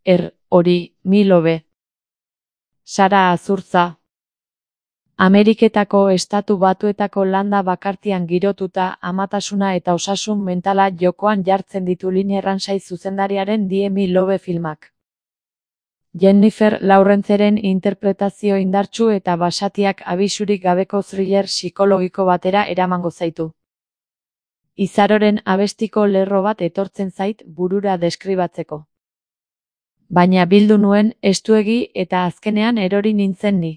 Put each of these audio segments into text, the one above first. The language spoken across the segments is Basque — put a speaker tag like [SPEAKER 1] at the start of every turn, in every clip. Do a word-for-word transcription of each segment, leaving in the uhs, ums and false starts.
[SPEAKER 1] er, hori, milobe. Sara Azurtza. Ameriketako Estatu Batuetako landa bakartian girotuta, amatasuna eta osasun mentala jokoan jartzen ditu Lynn Erransay zuzendariaren Die Milobe filmak. Jennifer Lawrenceren interpretazio indartsu eta basatiak abisurik gabeko thriller psikologiko batera eramango zaitu. Izaroren abestiko lerro bat etortzen zait burura deskribatzeko. Baina bildu nuen estuegi eta azkenean erori nintzen ni.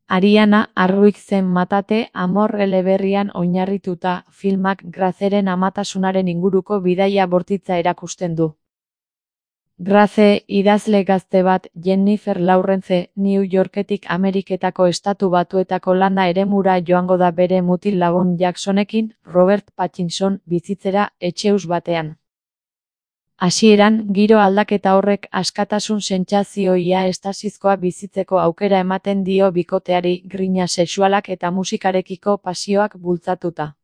[SPEAKER 1] Ariana Arruik zen Matate Amor eleberrian oinarrituta filmak Graceren amatasunaren inguruko bidaia bortitza erakusten du. Grace, idazle gazte bat, Jennifer Lawrence, New Yorketik Ameriketako Estatu Batuetako landa eremura joango da bere mutil lagun Jacksonekin, Robert Pattinson, bizitzera etxeus batean. Hasieran, giro aldaketa horrek askatasun sentsazioia estasizkoa bizitzeko aukera ematen dio bikoteari, grina sexualak eta musikarekiko pasioak bultzatuta.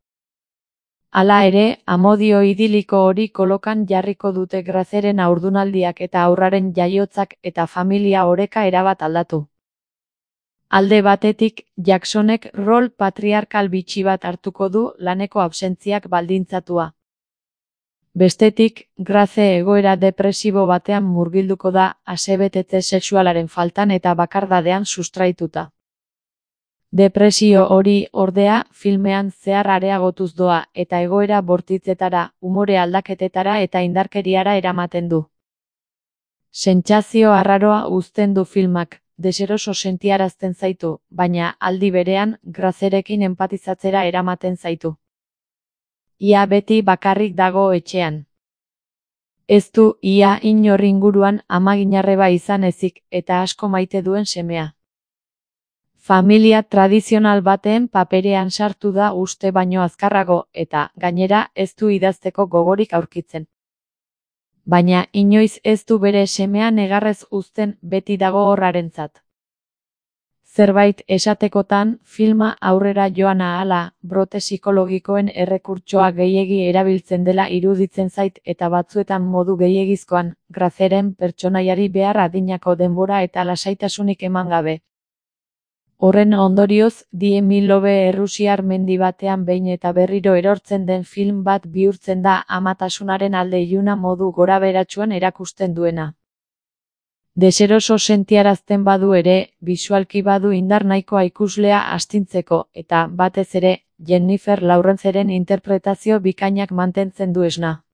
[SPEAKER 1] Hala ere, amodio idiliko hori kolokan jarriko dute Graceren haurdunaldiak eta haurraren jaiotzak eta familia oreka erabat aldatu. Alde batetik, Jacksonek rol patriarkal bitxi bat hartuko du laneko absentziak baldintzatua. Bestetik, Grace egoera depresibo batean murgilduko da, asebetetze sexualaren faltan eta bakardadean sustraituta. Depresio hori, ordea, filmean zehar areagotuz doa eta egoera bortitzetara, umore aldaketetara eta indarkeriara eramaten du. Sentsazio arraroa uzten du filmak, deseroso sentiarazten zaitu, baina aldi berean, Gracerekin empatizatzera eramaten zaitu. Ia beti bakarrik dago etxean. Ez du ia inor inguruan amaginarreba izan ezik eta asko maite duen semea. Familia tradizional baten paperean sartu da uste baino azkarrago eta, gainera, ez du idazteko gogorik aurkitzen. Baina inoiz ez du bere semea negarrez uzten beti dago horrarentzat. Zerbait esatekotan, filma aurrera joan ahala, brote psikologikoen errekurtsoa gehiegi erabiltzen dela iruditzen zait eta batzuetan modu gehiegizkoan, Graceren pertsonaiari behar adinako denbora eta lasaitasunik eman gabe. Horren ondorioz, Die Milobe errusiar mendi batean behin eta berriro erortzen den film bat bihurtzen da amatasunaren alde iluna modu goraberatsuan erakusten duena. Deseroso sentiarazten badu ere, bisualki badu indar nahikoa ikuslea astintzeko eta, batez ere, Jennifer Lawrenceren interpretazio bikainak mantentzen du esna.